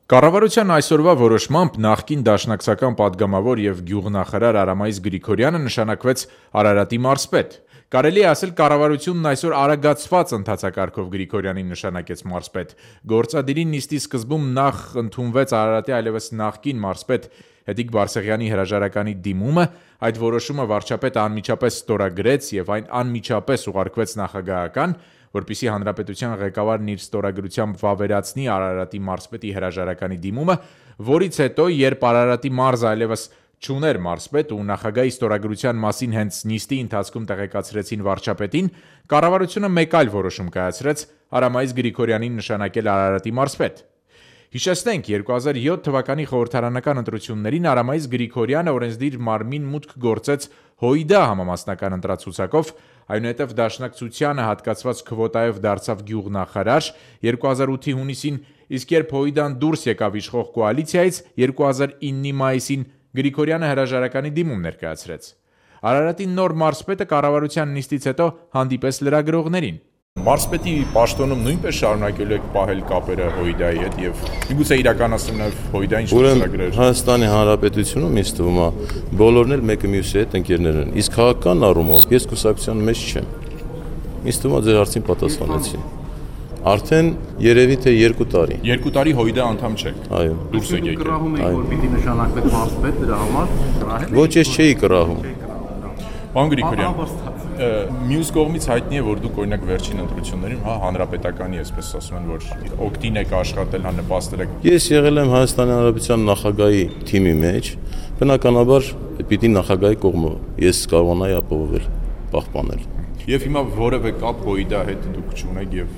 Կառավարության այսօրվա որոշմամբ նախկին դաշնակցական պատգամավոր և գյուղնախարար Արամայիս Գրիգորյանը նշանակվեց Արարատի մարզպետ։ Կարելի է ասել կառավարությունն այսօր արագացված ընթացակարգով Գրիգորյանին նշանակեց մարզպետ։ Գործադիրի նիստի սկզբում նախ ընդունվեց Արարատի այլևս նախկին մարզպետ Հեդիկ Բարսեղյանի հրաժարականի դիմումը, այդ որոշումը վարչապետը անմիջապես ստորագրեց և այն անմիջապես ուղարկվեց նախագահական, որպեսզի հանրապետության ղեկավարն իր ստորագրությամբ վավերացնի Արարատի մարզպետի հրաժարականի դիմումը, որից հետո, երբ Արարատի մարզը այլևս չուներ մարզպետ ու նախագահի ստորագրության մասին հենց նիստի ընթացքում տեղեկացրեցին վարչապետին, կառավարությունը մեկ այլ որոշում կայացրեց Արամայիս Գրիգորյանին նշանակել Արարատի մարզպետ։ Հիշեցնենք, 2007 թվականի խորհրդարանական ընտրություններին Արամայիս Գրիգորյանը օրենսդիր մարմին մուտք գործեց ՀՅԴ համամասնական ընտրացուցակով, այնուհետև Դաշնակցությանը հատկացված քվոտայով դարձավ գյուղնախարար 2008-ի հունիսին, իսկ երբ ՀՅԴ-ն դուրս եկավ իշխող կոալիցիայից, 2009-ի մայիսին Գրիգորյանը հրաժարականի դիմում ներկայացրեց։ Արարատի նոր մարզպետը կառավարության նիստից հետո հանդիպեց լրագրողներին։ Մարզպետի պաշտոնում նույնպես շարունակելու եք պահել կապերը ՀՅԴ-ի հետ եւ միգուցե իրականացնել նաեւ ՀՅԴ-ին շրջագրեր։ Հայաստանի Հանրապետությունում ինձ թվում է բոլորն էլ մեկը մյուսի հետ ընկերներ են, իսկ քաղաքական առումով ես կուսակցության մեջ չեմ։ Ինձ թվում է ձեր հարցին պատասխանեցի։ Արդեն երևի թե 2 տարի։ 2 տարի ՀՅԴ անդամ չեք։ Այո։ Դուրս եք եկել։ Կռահում եք, որ պիտի նշանակվեք մարզպետ դրա համար։ Ոչ, ես չէի կռահում։ Պարոն Գրիգորյան, մյուս կողմից հայտնի է, որ դուք օրինակ վերջին ընտրություններին, հանրապետականի, այսպես ասում են, որ օգտին եք աշխատել, նպաստել եք։ Ես եղել եմ Հայաստանի Հանրապետության նախագահի թիմի մեջ, բնականաբար պիտի նախագահի կողմը ես կարողանայի ապահովել, պահպանել։ Եվ հիմա որևէ կապ ՀՅԴ հետ դուք չունեք եւ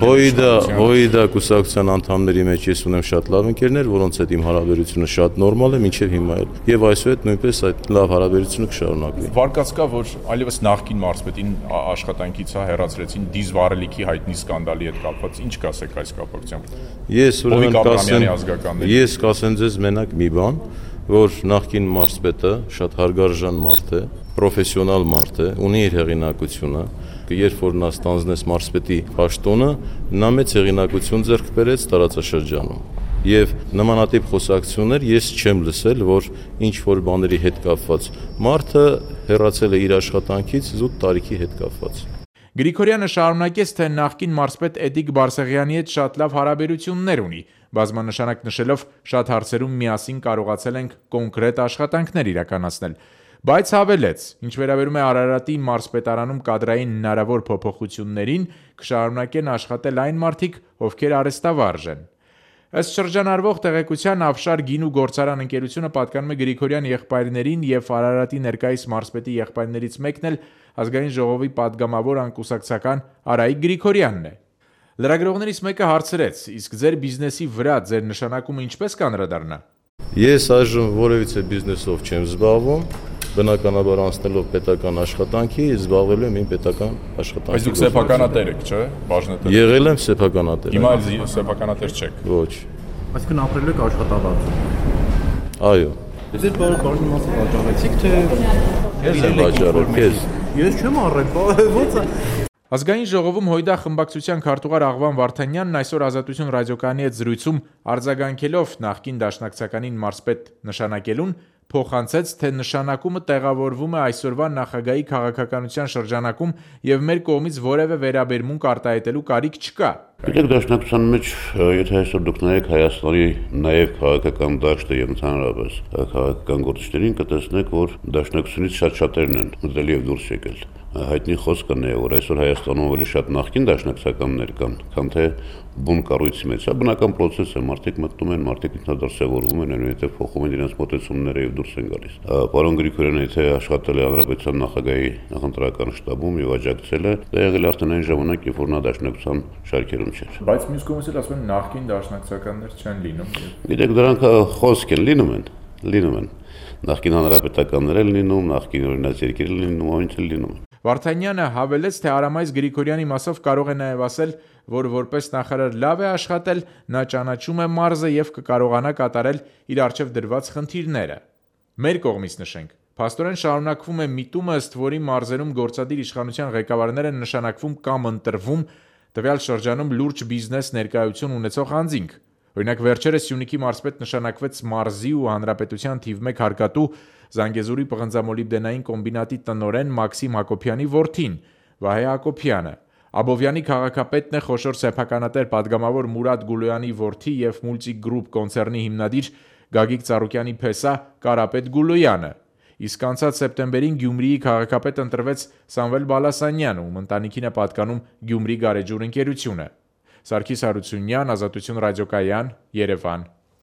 ՀՅԴ կուսակցության անդամների մեջ ես ունեմ շատ լավ ընկերներ, որոնց հետ իմ հարաբերությունը շատ նորմալ է, մինչև հիմա էլ։ Եվ այսուհետ նույնպես այդ լավ հարաբերությունը կշարունակվի։ Վարկած կա, որ այլևս նախկին մարզպետին աշխատանքից հեռացրեցին դիզվառելիքի հայտնի սկանդալի հետ կապված։ Ինչ կասեք այս կապակցությամբ։ Ես կասեմ ձեզ մենակ մի բան, որ նախկին մարզպետը շատ հարգարժան մարդ է, պրոֆեսիոնալ մարդ է, ունի իր հեղինակությունը, երբ որ նա ստանձնեց մարզպետի պաշտոնը, նա մեծ հեղինակություն ձեռք բերեց տարածաշրջանում։ Եվ նմանատիպ խոսակցություններ ես չեմ լսել, որ ինչ որ բաների հետ կապված մարդը հեռացել է իր աշխատանքից զուտ տարիքի հետ կապված։ Գրիգորյանը շարունակեց, թե նախկին մարզպետ Հեդիկ Բարսեղյանի հետ շատ լավ հարաբերություններ ունի, բազմանշանակ նշելով շատ հարցերում միասին կարողացել ենք կոնկրետ աշխատանքներ իրականացնել, բայց հավելեց, ինչ վերաբերում է Արարատի մարզպետարանում կադրային հնարավոր փոփոխություններին, կշարունակեն աշխատել այն մարդիկ, ովքեր արհեստավարժ են։ Ըստ շրջանառվող տեղեկության Ավշար գինու գործարան ընկերությունը պատկանում է Գրիգորյան եղբայրներին և Արարատի ներկայիս մարզպետի եղբայրներից մեկն էլ Ազգային ժողովի պատգամավոր անկուսակցական Արայիկ Գրիգորյանն է։ Լրագրողներից մեկը հարցրեց, իսկ ձեր բիզնեսի վրա ձեր նշանակումը ինչպես կանդրադառնա։ Ես այժմ որևիցե բիզնեսով չեմ զբաղվում, բնականաբար անցնելով պետական աշխատանքի, զբաղվելու եմ իմ պետական աշխատանքի։ Բայց դուք սեփականատեր եք, չէ՞, բաժնետեր։ Եղել եմ սեփականատեր։ Հիմա էլ սեփականատեր չեք։ Ոչ։ Այսինքն ապրելու եք աշխատավարձ։ Այո։ Ձեր բաժնի մասը վաճառեցիք, թե Ես եմ վաճառել, քեզ։ Ես չեմ առել, ո՞նց է։ Ազգային ժողովում ՀՅԴ խմբակցության քարտուղար Աղվան Վարդանյանն այսօր Ազատություն ռադիոկայանի հետ զրույցում արձագանքելով նախկին դաշնակցականին մարզպետ նշանակելուն, փոխանցեց, թե նշանակումը տեղավորվում է այսօրվա նախագահի քաղաքականության շրջանակում և մեր կողմից որևէ վերաբերմունք արտահայտելու կարիք չկա։ Գիտեք, դաշնակցության մեջ, եթե այսօր դուք նայեք Հայաստանի նաև քաղաքական դաշտը եւ ընդհանրապես քաղաքական գործիչներին, կտեսնեք, որ դաշնակցությունից շատ-շատերն են մտել եւ դուրս եկել։ Հայտնի խոսքն է, որ այսօր Հայաստանում ավելի շատ նախկին դաշնակցականներ կան, քան թե բուն կառույցի մեջ։ Սա բնական process է, մարդիկ մտնում են, մարդիկ ինքնադարձավորվում են, այնուհետև փոխում են իրենց մոտեցումները եւ դուրս են գալիս։ Պարոն Գրիգորյանը եթե աշխատել է հանրապետության նախագահի նախընտրական շտաբում եւ աջակցել է, դա եղել արդեն այն ժամանակ, երբ որ նա դաշնակցության շարքերում չէր։ Բայց մյուս կողմից էլ ասում են նախկին դաշնակցականներ չեն լինում։ Գիտեք, դրանք խոսք են, լինում են։ Նախկին հանրապետականներ են լինում, նախկին օրինաց երկիր են լինում, ինչ էլ լինում։ Վարդանյանը հավելեց, թե Արամայիս Գրիգորյանի մասով կարող է նաև ասել, որ որպես նախարար լավ է աշխատել, նա ճանաչում է մարզը և կկարողանա կատարել իր առջև դրված խնդիրները։ Մեր կողմից նշենք, փաստորեն շարունակվում է միտումը, ըստ որի մարզերում գործադիր իշխանության ղեկավարները նշանակվում կամ ընտրվում տվյալ շրջանում լուրջ բիզնես ներկայություն ունեցող անձինք։ Օրինակ վերջերս Սյունիքի մարզպետ նշանակվեց մարզի ու հանրապետության թիվ 1 հարկատու Զանգեզուրի պղնձամոլիբդենային կոմբինատի տնօրեն Մաքսիմ Հակոբյանի որդին Վահե Հակոբյանը, Աբովյանի քաղաքապետն է խոշոր սեփականատեր պատգամավոր Մուրադ Գուլոյանի որդի եւ Multic Group կոնցեռնի հիմնադիր Գագիկ Ծառուկյանի փեսա Կարապետ Գուլոյանը։ Իսկ անցած սեպտեմբերին Գյումրիի քաղաքապետ ընտրվեց Սամվել Բալասանյանը, ում ընտանիքին է պատկանում Գյումրի գարեջուր ընկերությունը։ Սարգիս Հարությունյան, Ազատություն ռադիոկայան, Երևան։